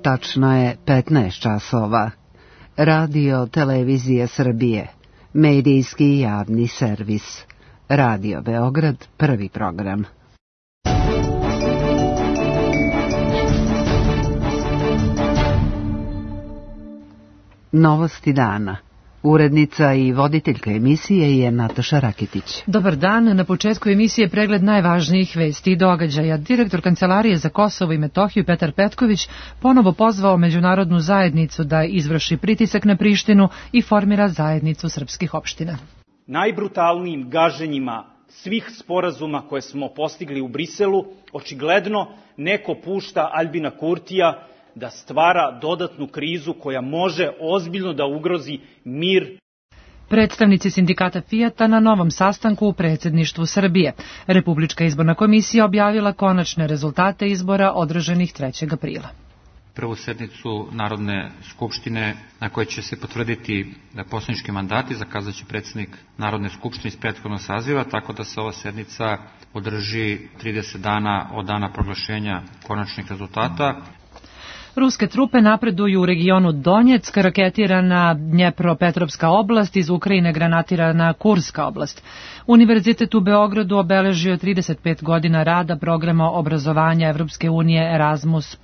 Tačno je 15 časova. Radio Televizije Srbije, medijski javni servis. Radio Beograd, prvi program. Novosti dana. Urednica i voditeljka emisije je Nataša Rakitić. Dobar dan, na početku emisije pregled najvažnijih vesti i događaja. Direktor Kancelarije za Kosovo i Metohiju Petar Petković ponovo pozvao međunarodnu zajednicu da izvrši pritisak na Prištinu i formira zajednicu srpskih opština. Najbrutalnijim gaženjima svih sporazuma koje smo postigli u Briselu, očigledno neko pušta Aljbina Kurtija da stvara dodatnu krizu koja može ozbiljno da ugrozi mir. Predstavnici sindikata Fijata na novom sastanku u predsjedništvu Srbije. Republička izborna komisija objavila konačne rezultate izbora održanih 3. aprila. Prvu sednicu Narodne skupštine na kojoj će se potvrditi poslanički mandati zakazat će predsjednik Narodne skupštine iz prethodnog saziva, tako da se ova sednica održi 30 dana od dana proglašenja konačnih rezultata. Ruske trupe napreduju u regionu Donjeck, raketirana Dnjepropetrovska oblast, iz Ukrajine granatirana Kurska oblast. Univerzitet u Beogradu obeležio 35 godina rada programa obrazovanja Evropske unije Erasmus+.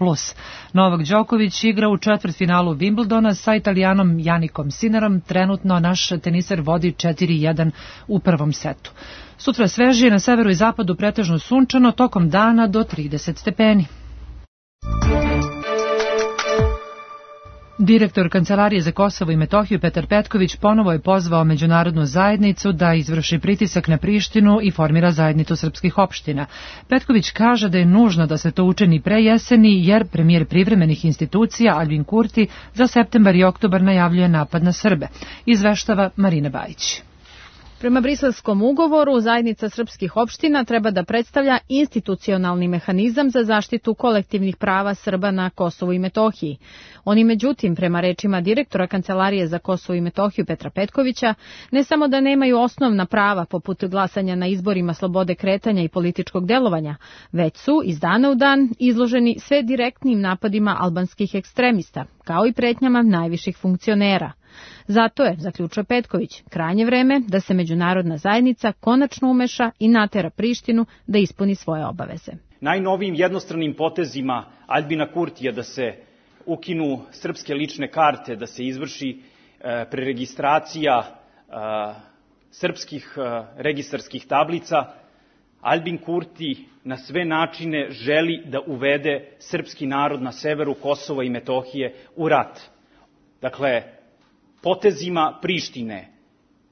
Novak Đoković igra u četvrtfinalu Wimbledona sa Italijanom Janikom Sinnerom. Trenutno naš teniser vodi 4-1 u prvom setu. Sutra svežije, na severu i zapadu pretežno sunčano, tokom dana do 30 stepeni. Direktor Kancelarije za Kosovo i Metohiju Petar Petković ponovo je pozvao međunarodnu zajednicu da izvrši pritisak na Prištinu i formira zajednicu srpskih opština. Petković kaže da je nužno da se to učini pre jeseni, jer premijer privremenih institucija Aljbin Kurti za septembar i oktobar najavljuje napad na Srbe. Izveštava Marina Bajić. Prema Briselskom ugovoru, zajednica srpskih opština treba da predstavlja institucionalni mehanizam za zaštitu kolektivnih prava Srba na Kosovu i Metohiji. Oni, međutim, prema rečima direktora Kancelarije za Kosovo i Metohiju Petra Petkovića, ne samo da nemaju osnovna prava poput glasanja na izborima, slobode kretanja i političkog delovanja, već su iz dana u dan izloženi sve direktnim napadima albanskih ekstremista, kao i pretnjama najviših funkcionera. Zato je, zaključuje Petković, krajnje vreme da se međunarodna zajednica konačno umeša i natera Prištinu da ispuni svoje obaveze. Najnovijim jednostranim potezima Aljbina Kurtija da se ukinu srpske lične karte, da se izvrši preregistracija srpskih registarskih tablica, Aljbin Kurti na sve načine želi da uvede srpski narod na severu Kosova i Metohije u rat. Dakle, potezima Prištine,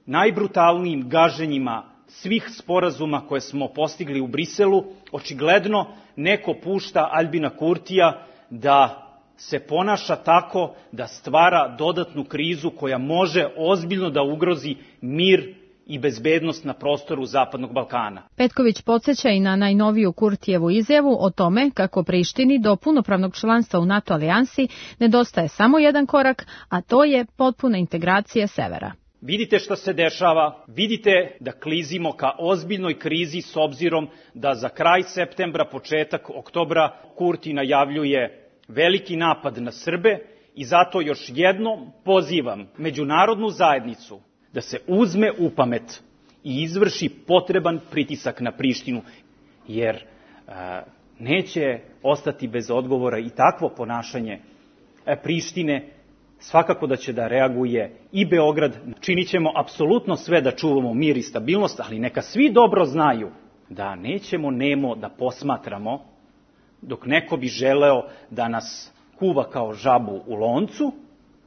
najbrutalnijim gaženjima svih sporazuma koje smo postigli u Briselu, očigledno neko pušta Aljbina Kurtija da se ponaša tako da stvara dodatnu krizu koja može ozbiljno da ugrozi mir i bezbednost na prostoru Zapadnog Balkana. Petković podsjeća i na najnoviju Kurtijevu izjavu o tome kako Prištini do punopravnog članstva u NATO alijansi nedostaje samo jedan korak, a to je potpuna integracija severa. Vidite šta se dešava, vidite da klizimo ka ozbiljnoj krizi s obzirom da za kraj septembra, početak oktobra Kurti najavljuje veliki napad na Srbe i zato još jednom pozivam međunarodnu zajednicu da se uzme u pamet i izvrši potreban pritisak na Prištinu, jer neće ostati bez odgovora i takvo ponašanje Prištine. Svakako da će da reaguje i Beograd. Činit ćemo apsolutno sve da čuvamo mir i stabilnost, ali neka svi dobro znaju da nećemo nemo da posmatramo dok neko bi želeo da nas kuva kao žabu u loncu,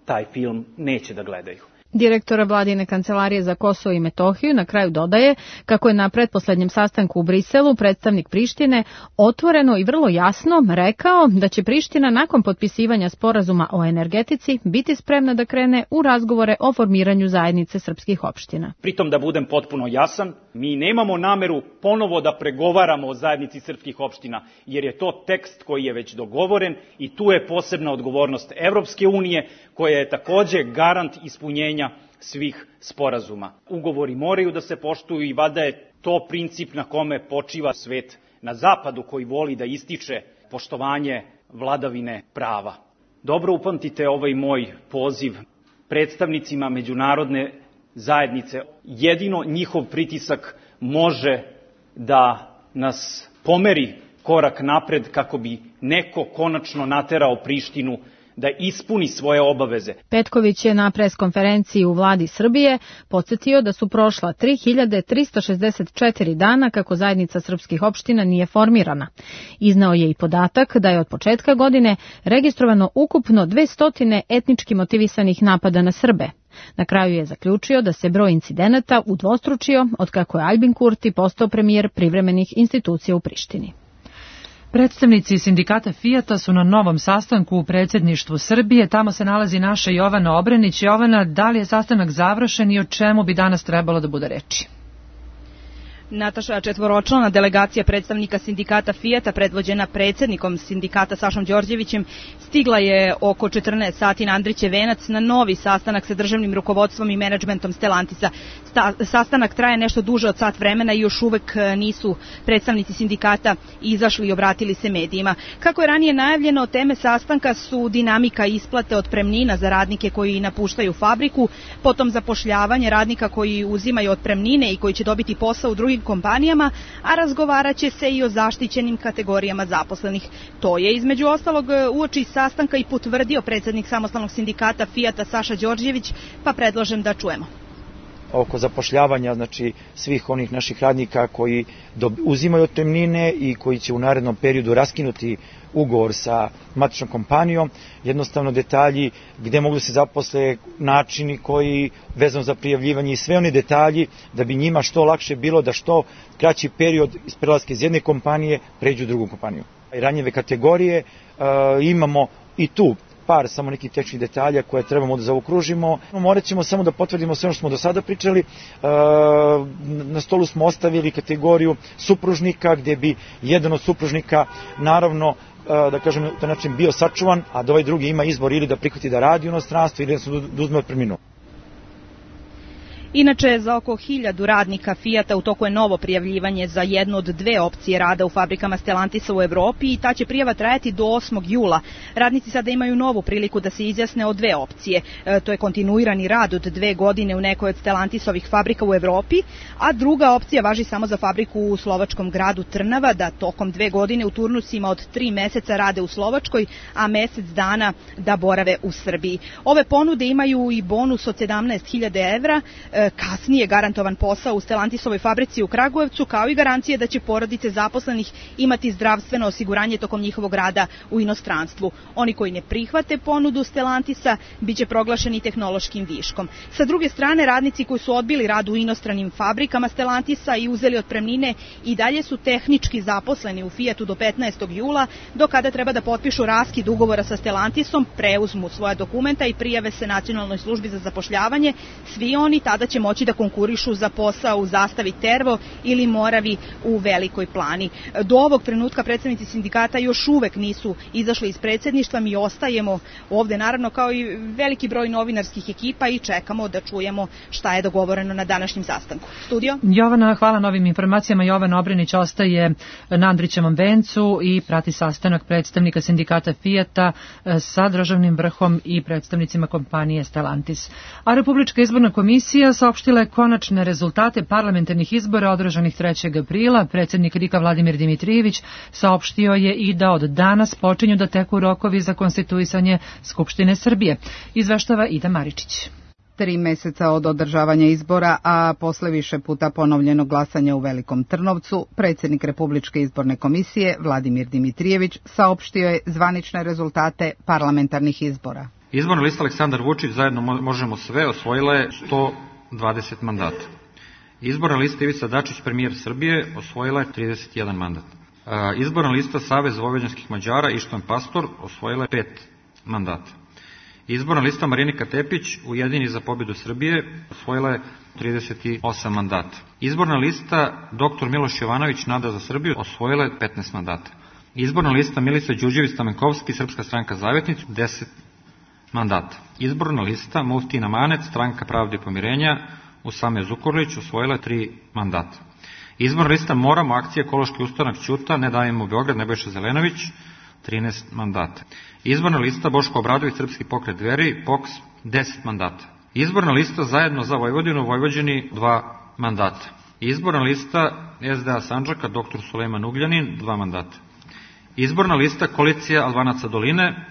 taj film neće da gledaju. Direktora Vladine Kancelarije za Kosovo i Metohiju na kraju dodaje kako je na pretposlednjem sastanku u Briselu predstavnik Prištine otvoreno i vrlo jasno rekao da će Priština nakon potpisivanja sporazuma o energetici biti spremna da krene u razgovore o formiranju zajednice srpskih opština. Pritom da budem potpuno jasan, mi nemamo nameru ponovo da pregovaramo o zajednici srpskih opština, jer je to tekst koji je već dogovoren i tu je posebna odgovornost Evropske unije, koja je takođe garant ispunjenja svih sporazuma. Ugovori moraju da se poštuju i valjda je to princip na kome počiva svet na zapadu koji voli da ističe poštovanje vladavine prava. Dobro upamtite ovaj moj poziv predstavnicima međunarodne zajednice. Jedino njihov pritisak može da nas pomeri korak napred kako bi neko konačno naterao Prištinu da ispuni svoje obaveze. Petković je na preskonferenciji u vladi Srbije podsjetio da su prošla 3364 dana kako zajednica srpskih opština nije formirana. Iznao je i podatak da je od početka godine registrovano ukupno 200 etnički motivisanih napada na Srbe. Na kraju je zaključio da se broj incidenata udvostručio otkako je Aljbin Kurti postao premijer privremenih institucija u Prištini. Predstavnici sindikata Fijata su na novom sastanku u predsjedništvu Srbije. Tamo se nalazi naša Jovana Obrenić. Jovana, da li je sastanak završen i o čemu bi danas trebalo da bude reči? Nataša, četvoročlana delegacija predstavnika sindikata Fijata, predvođena predsjednikom sindikata Sašom Đorđevićem, stigla je oko 14 sati na Andrićev venac na novi sastanak sa državnim rukovodstvom i menadžmentom Stellantisa. Sastanak traje nešto duže od sat vremena i još uvek nisu predstavnici sindikata izašli i obratili se medijima. Kako je ranije najavljeno, teme sastanka su dinamika isplate otpremnina za radnike koji napuštaju fabriku, potom zapošljavanje radnika koji uzimaju otpremnine i koji će dobiti posao u drugim kompanijama, a razgovarat će se i o zaštićenim kategorijama zaposlenih. To je između ostalog uoči sastanka i potvrdio predsjednik samostalnog sindikata Fijata Saša Đorđević, pa predlažem da čujemo. Oko zapošljavanja, znači svih onih naših radnika koji uzimaju otpremnine i koji će u narednom periodu raskinuti ugovor sa matičnom kompanijom, jednostavno detalji gde mogu da se zaposle, načini koji vezano za prijavljivanje i sve oni detalji da bi njima što lakše bilo da što kraći period iz prelaska iz jedne kompanije pređu u drugu kompaniju. Ranjive kategorije imamo i tu par samo nekih tehničkih detalja koje trebamo da zaokružimo. Morat ćemo samo da potvrdimo sve ono što smo do sada pričali. Na stolu smo ostavili kategoriju supružnika gde bi jedan od supružnika naravno da kažem na taj način bio sačuvan, a da ovaj drugi ima izbor ili da prihvati da radi u inostranstvu ili da uzme otpremninu. Inače, za oko 1000 radnika Fijata u toku je novo prijavljivanje za jednu od dve opcije rada u fabrikama Stellantisa u Evropi i ta će prijava trajati do 8. jula. Radnici sada imaju novu priliku da se izjasne o dve opcije. To je kontinuirani rad od 2 godine u nekoj od Stellantisovih fabrika u Evropi, a druga opcija važi samo za fabriku u slovačkom gradu Trnava, da tokom 2 godine u turnusima od 3 meseca rade u Slovačkoj, a mesec dana da borave u Srbiji. Ove ponude imaju i bonus od 17.000 evra, kasnije garantovan posao u Stellantisovoj fabrici u Kragujevcu, kao i garancije da će porodice zaposlenih imati zdravstveno osiguranje tokom njihovog rada u inostranstvu. Oni koji ne prihvate ponudu Stellantisa biće proglašeni tehnološkim viškom. Sa druge strane, radnici koji su odbili rad u inostranim fabrikama Stellantisa i uzeli otpremnine i dalje su tehnički zaposleni u Fijatu do 15. jula, do kada treba da potpišu raskid ugovora sa Stellantisom, preuzmu svoja dokumenta i prijave se Nacionalnoj službi za zapošljavanje. Svi oni tada će moći da konkurišu za posao u Zastavi Tervo ili Moravi u Velikoj Plani. Do ovog trenutka predstavnici sindikata još uvek nisu izašli iz predsjedništva. Mi ostajemo ovde naravno kao i veliki broj novinarskih ekipa i čekamo da čujemo šta je dogovoreno na današnjem sastanku. Studio? Jovana, hvala na ovim informacijama. Jovana Obrenić ostaje na Andrićevom vencu i prati sastanak predstavnika sindikata Fijata sa državnim vrhom i predstavnicima kompanije Stellantis. A Republička izborna komisija saopštila je konačne rezultate parlamentarnih izbora održanih 3. aprila. Predsjednik RIK-a Vladimir Dimitrijević saopštio je i da od danas počinju da teku rokovi za konstituisanje Skupštine Srbije. Izveštava Ida Maričić. 3 meseca od održavanja izbora, a posle više puta ponovljenog glasanja u Velikom Trnovcu, predsjednik Republičke izborne komisije Vladimir Dimitrijević saopštio je zvanične rezultate parlamentarnih izbora. Izborna lista Aleksandar Vučić zajedno možemo sve osvojila je 120 mandata. Izborna lista Ivica Dačić, premijer Srbije, osvojila je 31 mandat. Izborna lista Savez vojvođanskih Mađara Ištvan Pastor osvojila je 5 mandata. Izborna lista Marinika Tepić, Ujedini za pobjedu Srbije, osvojila je 38 mandata. Izborna lista Dr. Miloš Jovanović, Nada za Srbiju, osvojila je 15 mandata. Izborna lista Milica Đurđević Stamenkovski, Srpska stranka Zavetnicu, 10 mandata. Izborna lista Mufti Namanec, Stranka pravde i pomirenja, Usame Zukorlić, osvojila je 3 mandata. Izborna lista Moramo, akcija Ekološki ustanak Ćuta, Ne davimo Beograd, Nebojša Zelenović, 13 mandata. Izborna lista Boško Obradović, Srpski pokret Dveri, POKS, 10 mandata. Izborna lista Zajedno za Vojvodinu, Vojvođani, 2 mandata. Izborna lista SDA Sandžaka, dr. Sulejman Ugljanin, 2 mandata. Izborna lista Koalicija Albanaca Doline,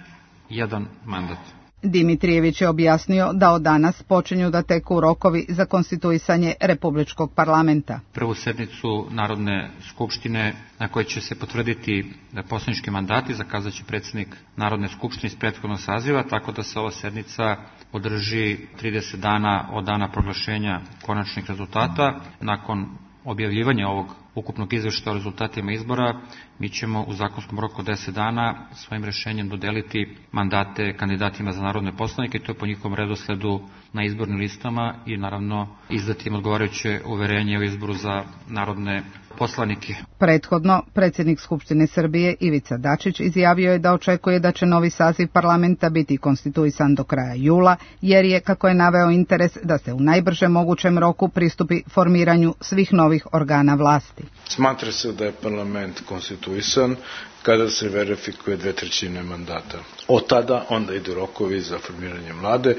1 mandat. Dimitrijević je objasnio da od danas počinju da teku rokovi za konstituisanje Republičkog parlamenta. Prvu sednicu Narodne skupštine na kojoj će se potvrditi poslanički mandati zakazat će predsjednik Narodne skupštine iz prethodnog saziva, tako da se ova sednica održi 30 dana od dana proglašenja konačnih rezultata. Nakon objavljivanja ovog ukupnog izveštaja o rezultatima izbora, mi ćemo u zakonskom roku 10 dana svojim rešenjem dodeliti mandate kandidatima za narodne poslanike, to je po njihovom redosledu na izbornim listama i naravno izdati im odgovarajuće uverenje o izboru za narodne poslanike. Prethodno, predsjednik Skupštine Srbije Ivica Dačić izjavio je da očekuje da će novi saziv parlamenta biti konstituisan do kraja jula, jer je, kako je naveo, interes da se u najbržem mogućem roku pristupi formiranju svih novih organa vlasti. Smatra se da je parlament konstituisan kada se verifikuje 2/3 mandata. Od tada onda idu rokovi za formiranje vlade,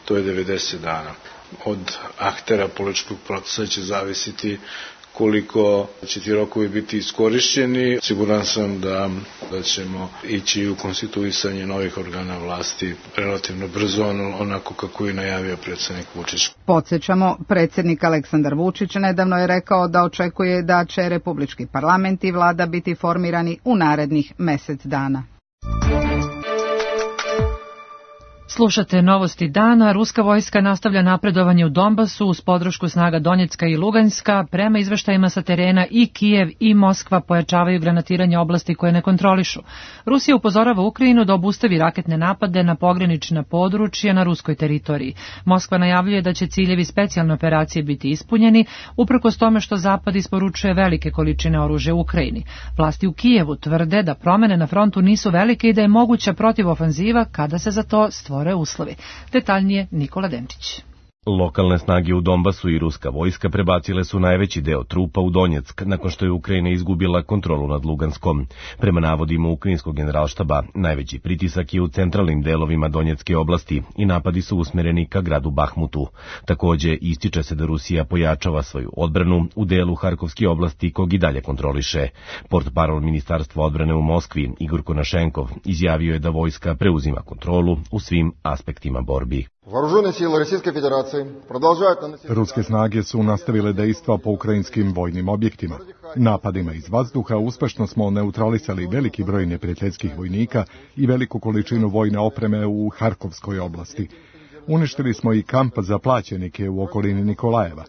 to je 90 dana. Od aktera političkog procesa će zavisiti koliko će ti rokovi biti iskorišćeni. Siguran sam da ćemo ići u konstituisanje novih organa vlasti relativno brzo, onako kako je najavio predsjednik Vučić. Podsjećamo, predsjednik Aleksandar Vučić nedavno je rekao da očekuje da će Republički parlament i vlada biti formirani u narednih mjesec dana. Slušate novosti dana. Ruska vojska nastavlja napredovanje u Donbasu uz podršku snaga Donjecka i Luganska. Prema izveštajima sa terena i Kijev i Moskva pojačavaju granatiranje oblasti koje ne kontrolišu. Rusija upozorava Ukrajinu da obustavi raketne napade na pogranična područja na ruskoj teritoriji. Moskva najavljuje da će ciljevi specijalne operacije biti ispunjeni, uprkos tome što Zapad isporučuje velike količine oružja u Ukrajini. Vlasti u Kijevu tvrde da promene na frontu nisu velike i da je moguća protivofanziva kada se za to stvore uslovi. Detaljnije Nikola Denčić. Lokalne snage u Donbasu i ruska vojska prebacile su najveći deo trupa u Donjeck nakon što je Ukrajina izgubila kontrolu nad Luganskom. Prema navodima ukrajinskog generalštaba, najveći pritisak je u centralnim delovima Donjecke oblasti i napadi su usmereni ka gradu Bahmutu. Takođe, ističe se da Rusija pojačava svoju odbranu u delu Harkovske oblasti kog i dalje kontroliše. Portparol Ministarstva odbrane u Moskvi, Igor Konašenkov, izjavio je da vojska preuzima kontrolu u svim aspektima borbi. Ruske snage su nastavile dejstva po ukrajinskim vojnim objektima. Napadima iz vazduha uspešno smo neutralisali veliki broj neprijateljskih vojnika i veliku količinu vojne opreme u Harkovskoj oblasti. Uništili smo i kamp za plaćenike u okolini Nikolajeva.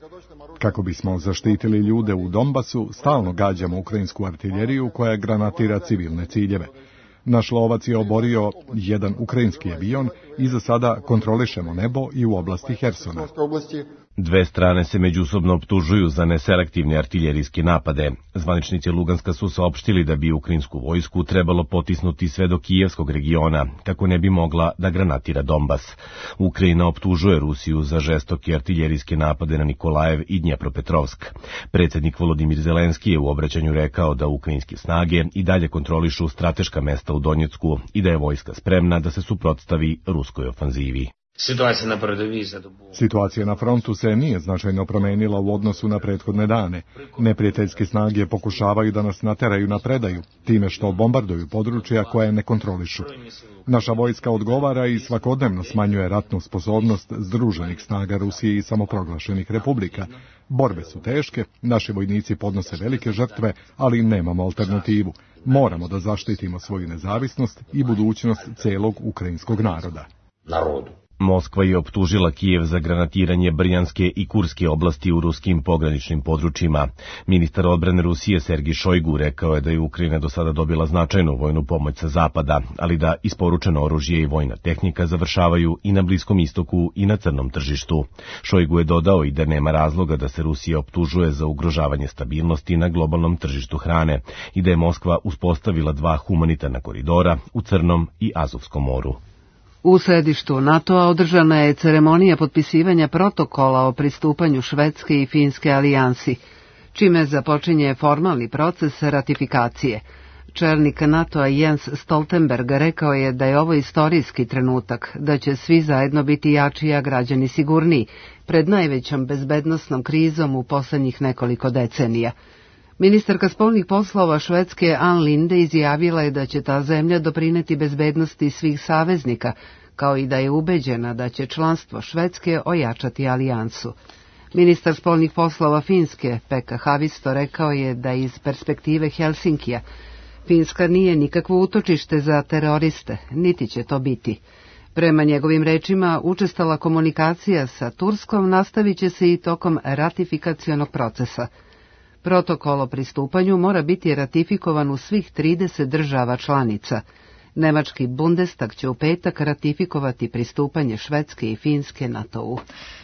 Kako bismo zaštitili ljude u Donbasu, stalno gađamo ukrajinsku artiljeriju koja granatira civilne ciljeve. Naš lovac je oborio jedan ukrajinski avion i za sada kontrolišemo nebo i u oblasti Hersona. Dve strane se međusobno optužuju za neselektivne artiljerijske napade. Zvaničnici Luganska su saopštili da bi ukrajinsku vojsku trebalo potisnuti sve do Kijevskog regiona, kako ne bi mogla da granatira Donbas. Ukrajina optužuje Rusiju za žestoke artiljerijske napade na Nikolajev i Dnjepropetrovsk. Predsjednik Volodimir Zelenski je u obraćanju rekao da ukrajinske snage i dalje kontrolišu strateška mesta u Donjecku i da je vojska spremna da se suprotstavi ruskoj ofanzivi. Situacija na frontu se nije značajno promenila u odnosu na prethodne dane. Neprijateljske snage pokušavaju da nas nateraju na predaju, time što bombarduju područja koje ne kontrolišu. Naša vojska odgovara i svakodnevno smanjuje ratnu sposobnost združenih snaga Rusije i samoproglašenih republika. Borbe su teške, naši vojnici podnose velike žrtve, ali nemamo alternativu. Moramo da zaštitimo svoju nezavisnost i budućnost celog ukrajinskog naroda. Moskva je optužila Kijev za granatiranje Brjanske i Kurske oblasti u ruskim pograničnim područjima. Ministar odbrane Rusije Sergij Šojgu rekao je da je Ukrajina do sada dobila značajnu vojnu pomoć sa zapada, ali da isporučeno oružje i vojna tehnika završavaju i na Bliskom istoku i na crnom tržištu. Šojgu je dodao i da nema razloga da se Rusija optužuje za ugrožavanje stabilnosti na globalnom tržištu hrane i da je Moskva uspostavila 2 humanitarna koridora u Crnom i Azovskom moru. U sedištu NATO-a održana je ceremonija potpisivanja protokola o pristupanju Švedske i Finske alijansi, čime započinje formalni proces ratifikacije. Čelnik NATO-a Jens Stoltenberg rekao je da je ovo istorijski trenutak, da će svi zajedno biti jači, a građani sigurniji, pred najvećom bezbednosnom krizom u poslednjih nekoliko decenija. Ministarka spoljnih poslova Švedske Ann Linde izjavila je da će ta zemlja doprineti bezbednosti svih saveznika, kao i da je ubeđena da će članstvo Švedske ojačati alijansu. Ministar spoljnih poslova Finske, Pekka Haavisto, rekao je da iz perspektive Helsinkija Finska nije nikakvo utočište za teroriste, niti će to biti. Prema njegovim rečima, učestala komunikacija sa Turskom nastavit će se i tokom ratifikacionog procesa. Protokol o pristupanju mora biti ratifikovan u svih 30 država članica. Nemački Bundestag će u petak ratifikovati pristupanje Švedske i Finske NATO-u.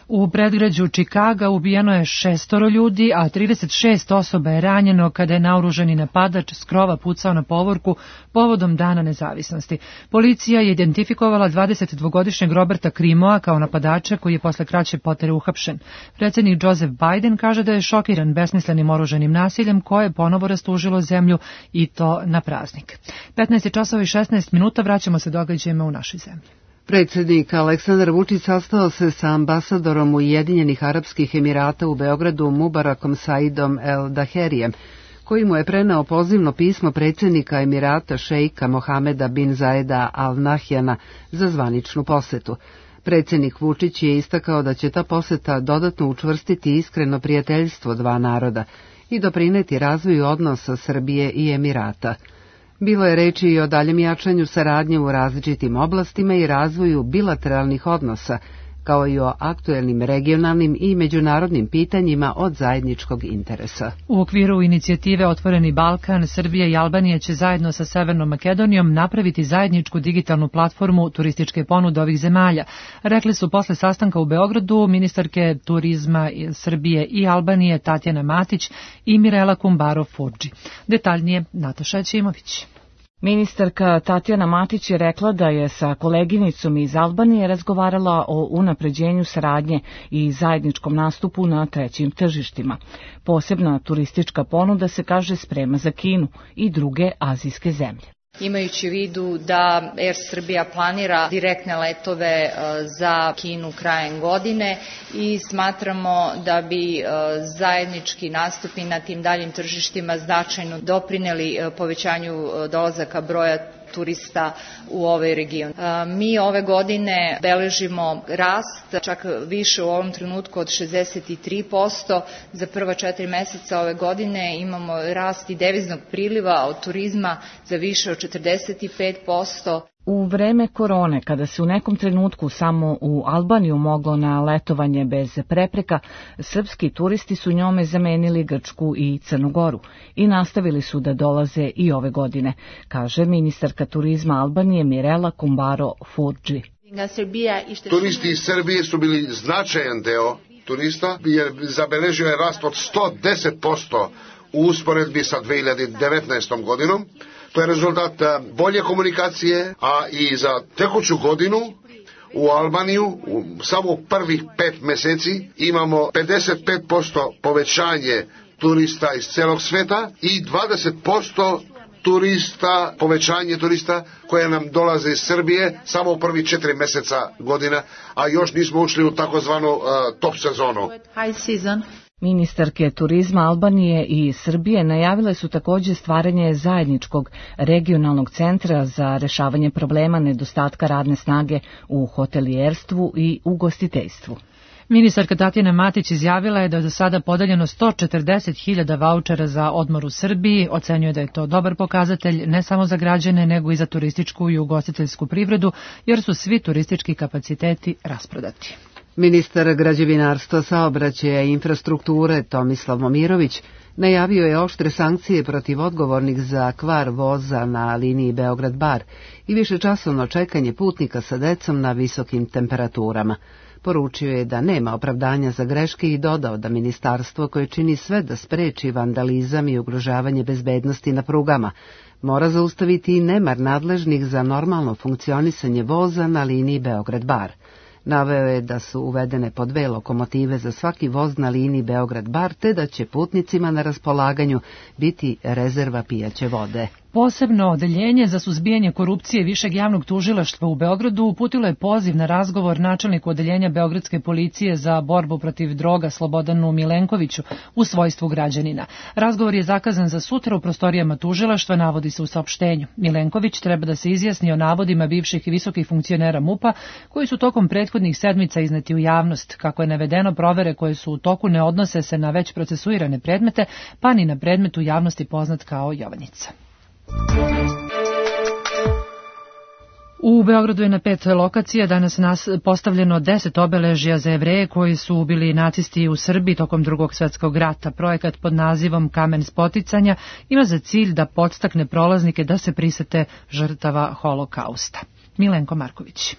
U predgrađu Čikaga ubijeno je 6 ljudi, a 36 osoba je ranjeno kada je naoružani napadač s krova pucao na povorku povodom Dana nezavisnosti. Policija je identifikovala 22-godišnjeg Roberta Krimoa kao napadača koji je posle kraće potere uhapšen. Predsjednik Joseph Biden kaže da je šokiran besmislenim oružanim nasiljem koje je ponovo rastužilo zemlju i to na praznik. 15:16, vraćamo se događajima u našoj zemlji. Predsjednik Aleksandar Vučić sastao se sa ambasadorom Ujedinjenih Arapskih Emirata u Beogradu Mubarakom Saidom El Daherijem, koji mu je preneo pozivno pismo predsjednika Emirata šejka Mohameda bin Zaeda Al Nahyana za zvaničnu posetu. Predsjednik Vučić je istakao da će ta poseta dodatno učvrstiti iskreno prijateljstvo dva naroda i doprineti razvoju odnosa Srbije i Emirata. Bilo je reči i o daljem jačanju saradnje u različitim oblastima i razvoju bilateralnih odnosa, kao i o aktuelnim regionalnim i međunarodnim pitanjima od zajedničkog interesa. U okviru inicijative Otvoreni Balkan, Srbija i Albanija će zajedno sa Severnom Makedonijom napraviti zajedničku digitalnu platformu turističke ponude ovih zemalja. Rekli su posle sastanka u Beogradu ministarke turizma Srbije i Albanije Tatjana Matić i Mirela Kumbaro-Furđi. Detaljnije Nataša Ćimović. Ministarka Tatjana Matić je rekla da je sa koleginicom iz Albanije razgovarala o unapređenju saradnje i zajedničkom nastupu na trećim tržištima. Posebna turistička ponuda se, kaže, sprema za Kinu i druge azijske zemlje. Imajući u vidu da Air Srbija planira direktne letove za Kinu krajem godine i smatramo da bi zajednički nastupi na tim daljim tržištima značajno doprineli povećanju dolazaka broja turista u ovaj region. Mi ove godine beležimo rast, čak više u ovom trenutku od 63%. Za prva 4 meseca ove godine imamo rast i deviznog priliva od turizma za više od 45%. U vreme korone, kada se u nekom trenutku samo u Albaniju moglo na letovanje bez prepreka, srpski turisti su njome zamenili Grčku i Crnu Goru i nastavili su da dolaze i ove godine, kaže ministarka turizma Albanije Mirela Kumbaro-Furđi. Turisti iz Srbije su bili značajan deo turista, jer zabeležio je rast od 110% u usporedbi sa 2019. godinom. To je rezultat bolje komunikacije, a i za tekuću godinu u Albaniju samo u prvih 5 meseci imamo 55% povećanje turista iz celog sveta i 20% povećanje turista koje nam dolaze iz Srbije samo u prvih 4 meseca godina, a još nismo ušli u takozvanu top sezonu. Ministarke turizma Albanije i Srbije najavile su također stvaranje zajedničkog regionalnog centra za rešavanje problema nedostatka radne snage u hotelijerstvu i ugostiteljstvu. Ministarka Tatjana Matić izjavila je da je do sada podeljeno 140.000 vaučera za odmor u Srbiji. Ocenjuje da je to dobar pokazatelj ne samo za građane, nego i za turističku i ugostiteljsku privredu, jer su svi turistički kapaciteti rasprodati. Ministar građevinarstva, saobraćaja i infrastrukture Tomislav Momirović najavio je oštre sankcije protiv odgovornih za kvar voza na liniji Beograd-Bar i višečasovno čekanje putnika sa decom na visokim temperaturama. Poručio je da nema opravdanja za greške i dodao da ministarstvo, koje čini sve da spreči vandalizam i ugrožavanje bezbednosti na prugama, mora zaustaviti i nemar nadležnih za normalno funkcionisanje voza na liniji Beograd-Bar. Naveo je da su uvedene po 2 lokomotive za svaki voz na liniji Beograd-Bar, te da će putnicima na raspolaganju biti rezerva pijaće vode. Posebno odeljenje za suzbijanje korupcije Višeg javnog tužilaštva u Beogradu uputilo je poziv na razgovor načelniku odeljenja Beogradske policije za borbu protiv droga Slobodanu Milenkoviću u svojstvu građanina. Razgovor je zakazan za sutra u prostorijama tužilaštva, navodi se u saopštenju. Milenković treba da se izjasni o navodima bivših i visokih funkcionera MUP-a koji su tokom prethodnih sedmica izneti u javnost. Kako je navedeno, provere koje su u toku ne odnose se na već procesuirane predmete, pa ni na predmet u javnosti poznat kao Jovanjica. U Beogradu je na 5 lokacija danas postavljeno 10 obeležja za Jevreje koji su bili nacisti u Srbiji tokom Drugog svjetskog rata. Projekat pod nazivom Kamen spoticanja ima za cilj da podstakne prolaznike da se prisete žrtava holokausta. Milenko Marković.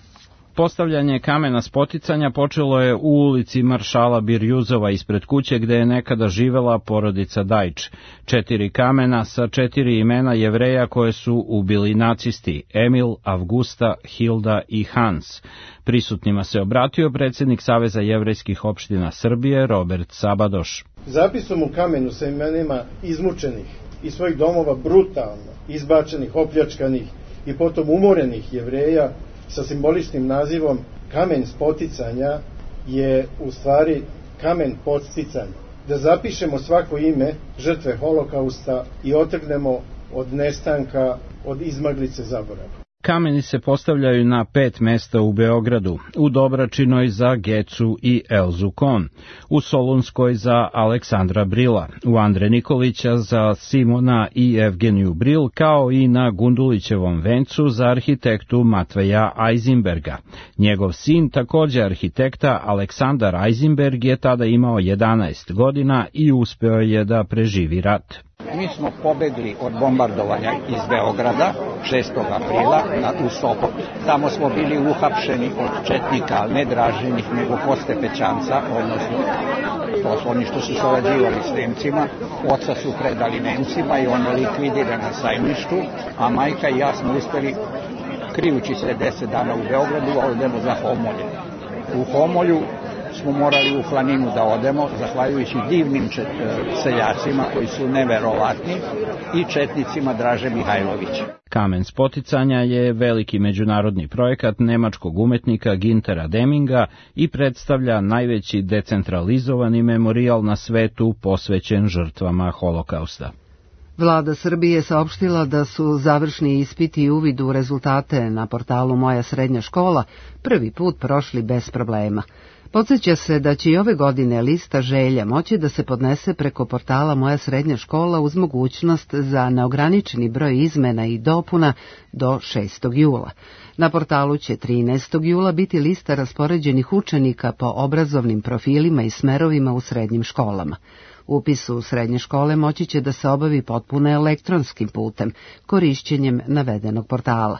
Postavljanje kamena spoticanja počelo je u ulici Maršala Birjuzova ispred kuće gde je nekada živela porodica Dajč. 4 kamena sa 4 imena Jevreja koje su ubili nacisti: Emil, Avgusta, Hilda i Hans. Prisutnima se obratio predsjednik Saveza jevrejskih opština Srbije Robert Sabadoš. Zapisom u kamenu sa imenima izmučenih iz svojih domova brutalno izbačenih, opljačkanih i potom umorenih Jevreja sa simboličnim nazivom kamen spoticanja je u stvari kamen podsticanja. Da zapišemo svako ime žrtve holokausta i otrgnemo od nestanka, od izmaglice zaborava. Kameni se postavljaju na 5 mesta u Beogradu, u Dobračinoj za Gecu i Elzu Kon, u Solunskoj za Aleksandra Brila, u Andre Nikolića za Simona i Evgeniju Bril, kao i na Gundulićevom vencu za arhitektu Matveja Ajzinberga. Njegov sin, također arhitekta Aleksandar Ajzinberg, je tada imao 11 godina i uspeo je da preživi rat. Mi smo pobegli od bombardovanja iz Beograda 6. aprila u Sopot. Tamo smo bili uhapšeni od četnika, ali ne Draženih, nego Postepećanca, odnosno to su oni što su sarađivali s Nemcima. Oca su predali Nemcima i on je likvidiran na Sajmištu, a majka i ja smo uspeli, krijući se 10 dana u Beogradu, a odemo za Homolje. U Homolju smo morali u planinu da odemo, zahvaljujući divnim seljacima koji su neverovatni i četnicima Draže Mihajlovića. Kamen spoticanja je veliki međunarodni projekat nemačkog umetnika Gintera Deminga i predstavlja najveći decentralizovani memorijal na svetu posvećen žrtvama holokausta. Vlada Srbije saopštila da su završni ispiti i uvid u rezultate na portalu Moja srednja škola prvi put prošli bez problema. Podsjeća se da će i ove godine lista želja moći da se podnese preko portala Moja srednja škola uz mogućnost za neograničeni broj izmena i dopuna do 6. jula. Na portalu će 13. jula biti lista raspoređenih učenika po obrazovnim profilima i smerovima u srednjim školama. Upis u srednje škole moći će da se obavi potpuno elektronskim putem, korišćenjem navedenog portala.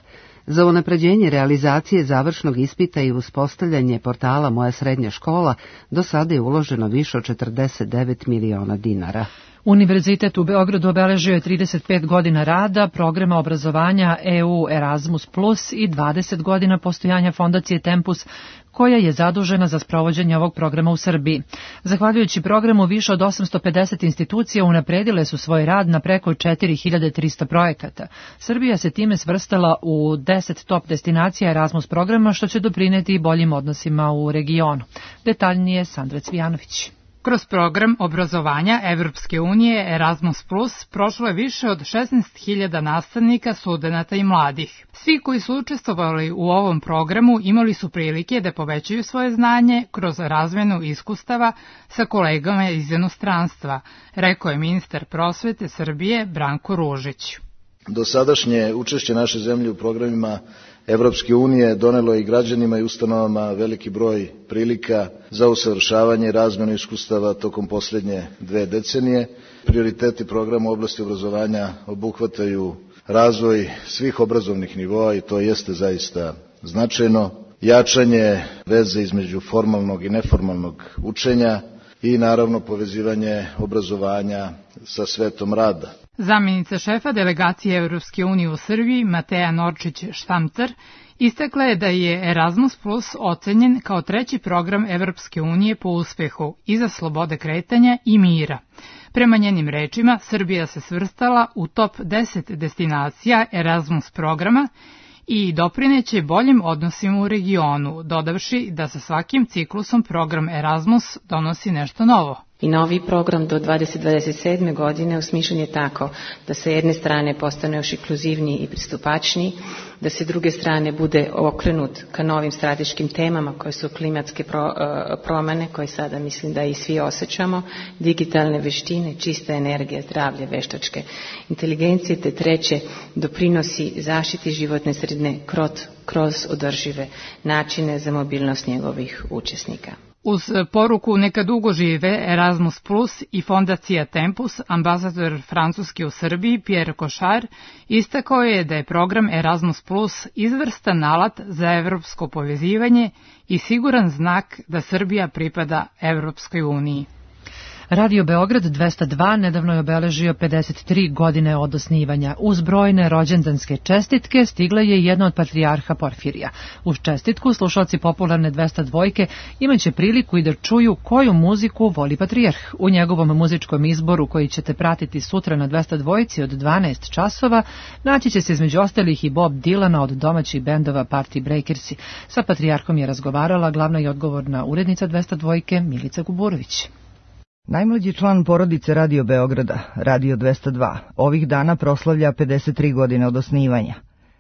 Za unapređenje realizacije završnog ispita i uspostavljanje portala Moja srednja škola do sada je uloženo više od 49 miliona dinara. Univerzitet u Beogradu obeležio je 35 godina rada, programa obrazovanja EU Erasmus Plus i 20 godina postojanja fondacije Tempus, koja je zadužena za sprovođenje ovog programa u Srbiji. Zahvaljujući programu, više od 850 institucija unapredile su svoj rad na preko 4300 projekata. Srbija se time svrstala u 10 top destinacija Erasmus programa, što će doprineti boljim odnosima u regionu. Detaljnije Sandra Cvijanović. Kroz program obrazovanja Evropske unije Erasmus Plus prošlo je više od 16.000 nastavnika, studenata i mladih. Svi koji su učestvovali u ovom programu imali su prilike da povećaju svoje znanje kroz razmenu iskustava sa kolegama iz inostranstva, rekao je ministar prosvete Srbije Branko Ružić. Dosadašnje učešće naše zemlje u programima Evropske unije donelo je i građanima i ustanovama veliki broj prilika za usavršavanje i razmenu iskustava tokom posljednje 2 decenije. Prioriteti programa u oblasti obrazovanja obuhvataju razvoj svih obrazovnih nivoa i to jeste zaista značajno, jačanje veze između formalnog i neformalnog učenja i naravno povezivanje obrazovanja sa svetom rada. Zamjenica šefa delegacije Evropske unije u Srbiji, Mateja Norčić-Štamcar, istakla je da je Erasmus Plus ocenjen kao treći program Evropske unije po uspehu i za slobode kretanja i mira. Prema njenim rečima, Srbija se svrstala u top 10 destinacija Erasmus programa i doprineće boljim odnosima u regionu, dodavši da sa svakim ciklusom program Erasmus donosi nešto novo. I novi program do 2027. godine osmišljen je tako da sa jedne strane postane još inkluzivniji i pristupačniji, da se druge strane bude okrenut ka novim strateškim temama koje su klimatske promene, koje sada mislim da i svi osjećamo, digitalne veštine, čista energija, zdravlje, veštačke inteligencije, te treće doprinosi zaštiti životne sredine kroz održive načine za mobilnost njegovih učesnika. Uz poruku neka dugo žive Erasmus Plus i fondacija Tempus, ambasador Francuske u Srbiji Pierre Cochard istakao je da je program Erasmus Plus izvrstan alat za evropsko povezivanje i siguran znak da Srbija pripada Evropskoj uniji. Radio Beograd 202 nedavno je obeležio 53 godine od osnivanja. Uz brojne rođendanske čestitke stigla je jedna od patrijarha Porfirija. Uz čestitku slušalci popularne 202 imaće priliku i da čuju koju muziku voli patrijarh. U njegovom muzičkom izboru koji ćete pratiti sutra na 202 od 12 časova naći će se između ostalih i Bob Dylana od domaćih bendova Party Breakersi. Sa patrijarhom je razgovarala glavna i odgovorna urednica 202 Milica Guburović. Najmlađi član porodice Radio Beograda, Radio 202, ovih dana proslavlja 53 godine od osnivanja.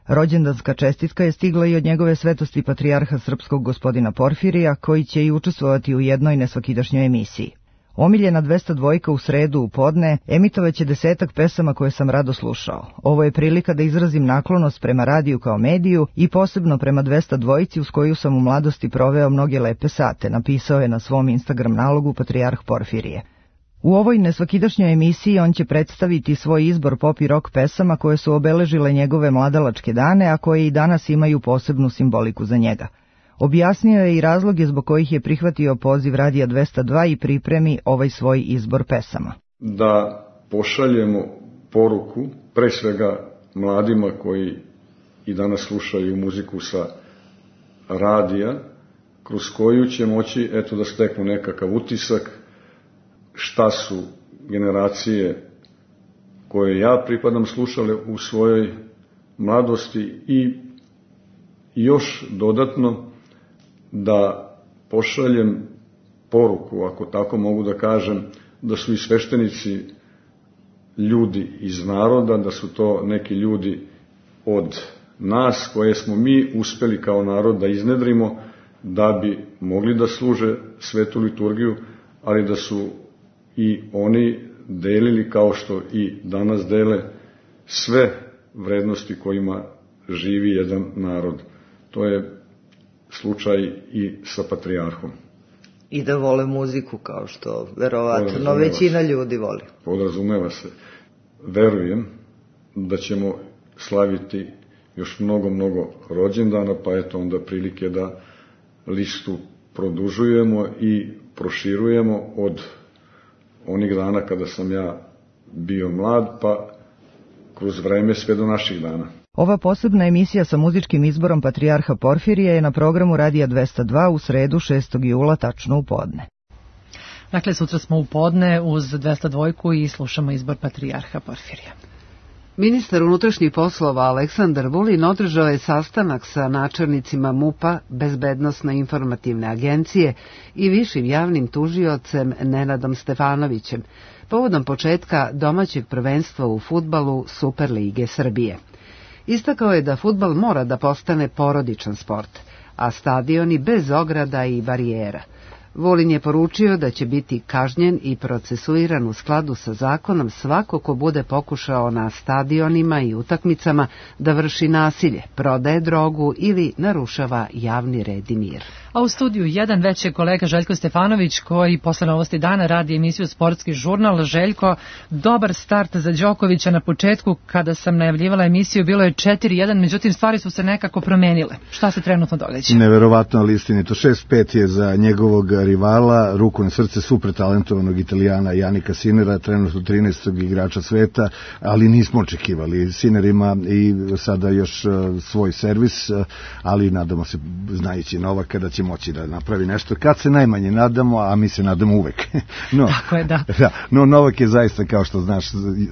Rođendanska čestitka je stigla i od njegove svetosti patrijarha srpskog gospodina Porfirija, koji će i učestvovati u jednoj nesvakidašnjoj emisiji. Omiljena 202 u sredu u podne emitovaće 10 pesama koje sam rado slušao. Ovo je prilika da izrazim naklonost prema radiju kao mediju i posebno prema 202 uz koju sam u mladosti proveo mnoge lepe sate, napisao je na svom Instagram nalogu patrijarh Porfirije. U ovoj nesvakidašnjoj emisiji on će predstaviti svoj izbor pop i rock pesama koje su obeležile njegove mladalačke dane, a koje i danas imaju posebnu simboliku za njega. Objasnio je i razloge zbog kojih je prihvatio poziv Radija 202 i pripremi ovaj svoj izbor pesama. Da pošaljemo poruku, pre svega mladima koji i danas slušaju muziku sa radija, kroz koju će moći da steknu nekakav utisak šta su generacije koje ja pripadam slušale u svojoj mladosti i još dodatno da pošaljem poruku, ako tako mogu da kažem, da su i sveštenici ljudi iz naroda, da su to neki ljudi od nas koje smo mi uspeli kao narod da iznedrimo da bi mogli da služe svetu liturgiju, ali da su i oni delili kao što i danas dele sve vrednosti kojima živi jedan narod. To je slučaj i sa patrijarhom. I da vole muziku kao što verovatno većina ljudi voli. Podrazumeva se. Verujem da ćemo slaviti još mnogo rođendana, pa eto onda prilike da listu produžujemo i proširujemo od onih dana kada sam ja bio mlad, pa kroz vreme sve do naših dana. Ova posebna emisija sa muzičkim izborom patrijarha Porfirija je na programu Radija 202 u sredu 6. jula tačno u podne. Dakle, sutra smo u podne uz 202 i slušamo izbor patrijarha Porfirija. Ministar unutrašnjih poslova Aleksandar Vulin održao je sastanak sa načelnicima MUP-a, Bezbednosno-informativne agencije i višim javnim tužiocem Nenadom Stefanovićem, povodom početka domaćeg prvenstva u fudbalu Superlige Srbije. Istakao je da fudbal mora da postane porodičan sport, a stadioni bez ograda i barijera. Vulin je poručio da će biti kažnjen i procesuiran u skladu sa zakonom svako ko bude pokušao na stadionima i utakmicama da vrši nasilje, prodaje drogu ili narušava javni red i mir. A u studiju 1 već je kolega Željko Stefanović koji posle novosti dana radi emisiju Sportski žurnal. Željko, dobar start za Đokovića na početku. Kada sam najavljivala emisiju bilo je 4-1, međutim stvari su se nekako promenile. Šta se trenutno događa? Neverovatno, ali istinito. 6-5 je za njegovog rivala, ruku na srce super talentovanog Italijana Janika Sinera, trenutno 13. igrača sveta, ali nismo očekivali. Sinner ima i sada još svoj servis, ali nadamo se, znajući Novaka, da će moći da napravi nešto. Kad se najmanje nadamo, a mi se nadamo uvek. No, tako je, da. No, Novak je zaista, kao što znaš,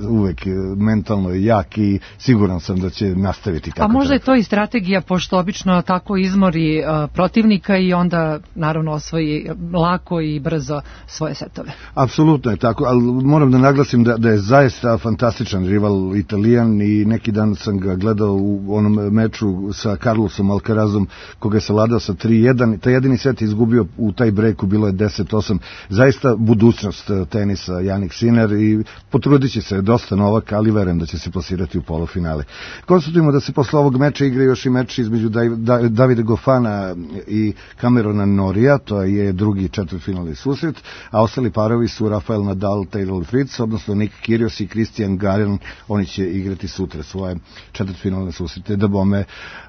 uvek mentalno jak i siguran sam da će nastaviti kako. A možda je to i strategija, pošto obično tako izmori protivnika i onda naravno osvoji lako i brzo svoje setove. Apsolutno je tako, ali moram da naglasim da je zaista fantastičan rival Italijan i neki dan sam ga gledao u onom meču sa Carlosom Alcarazom, koga je savladao sa 3-1. Taj jedini set je izgubio u taj breaku, bilo je 10-8. Zaista budućnost tenisa Jannik Sinner i potrudit će se dosta Novak, ali verujem da će se plasirati u polufinale. Konstatujemo da se posle ovog meča igra još i meč između Davida Goffina i Camerona Norija, to je drugi četvrtfinalni susret, a ostali parovi su Rafael Nadal, Taylor Fritz, odnosno Nick Kyrgios i Christian Garin. Oni će igrati sutra svoje četvrtfinalne susrete. Da bome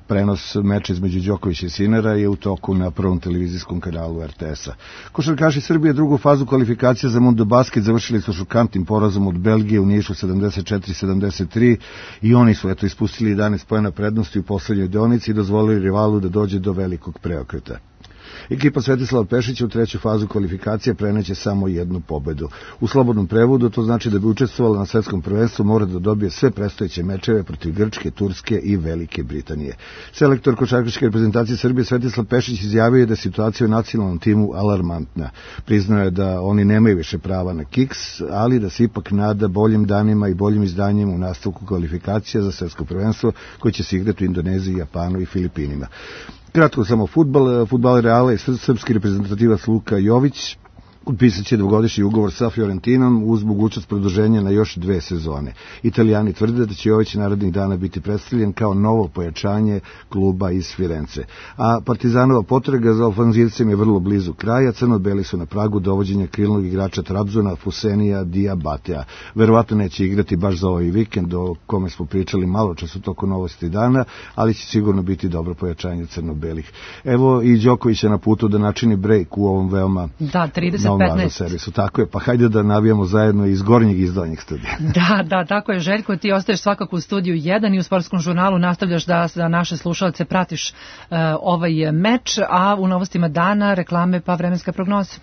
prenos meča između Đokovića i Sinnera je u toku na prvom televizijskom kanalu RTS-a. Košarkaši Srbije drugu fazu kvalifikacija za Mundo Basket završili su šokantnim porazom od Belgije u Nišu 74-73 i oni su ispustili 11 poena prednosti u poslednjoj deonici i dozvolili rivalu da dođe do velikog preokreta. Ekipa Svetislava Pešića u treću fazu kvalifikacije preneće samo jednu pobedu. U slobodnom prevodu to znači da bi učestvovala na svetskom prvenstvu mora da dobije sve predstojeće mečeve protiv Grčke, Turske i Velike Britanije. Selektor košarkaške reprezentacije Srbije Svetislav Pešić izjavio je da je situacija u nacionalnom timu alarmantna. Priznao je da oni nemaju više prava na kiks, ali da se ipak nada boljim danima i boljim izdanjima u nastavku kvalifikacija za svetsko prvenstvo koje će se igrati u Indoneziji, Japanu i Filipinima. Kratko samo fudbaler Reala i srpski reprezentativac Luka Jović potpisat će dvogodišnji ugovor sa Fiorentinom uz mogućnost produženja na još 2 sezone. Italijani tvrde da će Jović narednih dana biti predstavljen kao novo pojačanje kluba iz Firence. A Partizanova potraga za ofanzivcem je vrlo blizu kraja. Crno-beli su na pragu dovođenja krilnog igrača Trabzona Fusenija Diabatea. Verovatno neće igrati baš za ovaj vikend o kome smo pričali malo čas u toku novosti dana, ali će sigurno biti dobro pojačanje crno-belih. Evo i Đoković je na putu da načini break u ovom veoma 15. Servisu. Tako je, pa hajde da navijamo zajedno iz gornjeg i iz donjeg studija. Da, tako je, Željko, ti ostaješ svakako u studiju 1 i u Sportskom žurnalu nastavljaš da za naše slušalce pratiš ovaj meč, a u novostima dana reklame pa vremenska prognoza.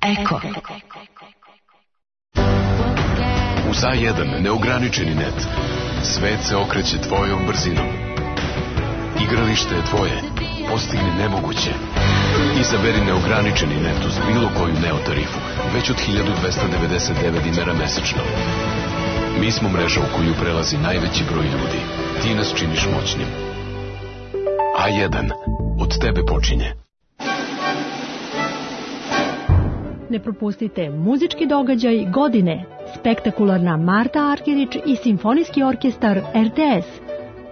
Eko. U A1 neograničeni net. Svet se okreće tvojom brzinom. Igralište je tvoje. Postigni nemoguće. Izaberi neograničeni net uz bilo koju Neo tarifu, već od 1299 dinara mesečno. Mi smo mreža u koju prelazi najveći broj ljudi. Ti nas činiš moćnim. A1. Od tebe počinje. Ne propustite muzički događaj godine. Spektakularna Marta Argerić i Simfonijski orkestar RTS.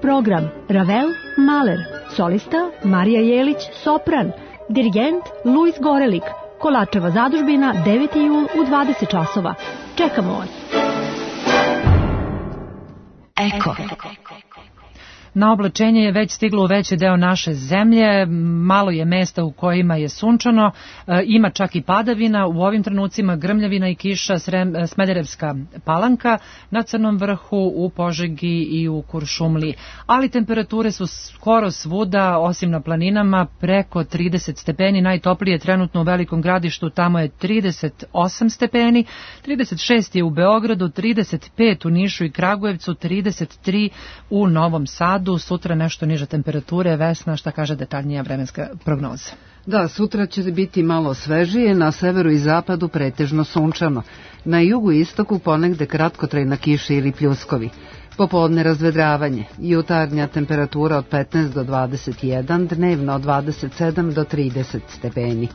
Program Ravel, Mahler, solista Marija Jelić, sopran, dirigent Luis Gorelik, Kolačeva zadužbina 9. jul u 20 časova. Čekamo vas. Eko. Na oblačenje je već stiglo u veći deo naše zemlje, malo je mesta u kojima je sunčano, ima čak i padavina, u ovim trenucima grmljavina i kiša, Smederevska Palanka, na Crnom vrhu, u Požegi i u Kuršumliji. Ali temperature su skoro svuda, osim na planinama, preko 30 stepeni, najtoplije trenutno u Velikom Gradištu, tamo je 38 stepeni, 36 je u Beogradu, 35 u Nišu i Kragujevcu, 33 u Novom Sadu. Sutra nešto niže temperature. Vesna, šta kaže detaljnija vremenska prognoza? Da, sutra će biti malo svežije, na severu i zapadu pretežno sunčano. Na jugu i istoku ponegde kratkotrajna kiša ili pljuskovi. Popodne razvedravanje, jutarnja temperatura od 15 do 21, dnevno od 27 do 30 stepeni.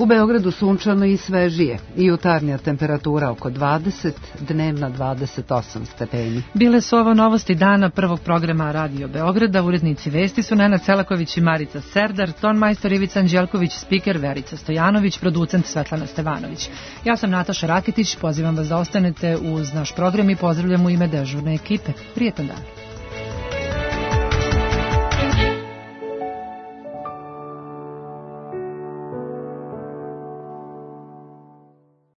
U Beogradu sunčano i svežije, jutarnja temperatura oko 20, dnevna 28 stepeni. Bile su ovo novosti dana prvog programa Radio Beograda. Urednici vesti su Nenad Selaković i Marica Serdar, tonmajstor Ivica Anđelković, spiker Verica Stojanović, producent Svetlana Stevanović. Ja sam Nataša Rakitić, pozivam vas da ostanete uz naš program i pozdravljam u ime dežurne ekipe. Prijetan dan.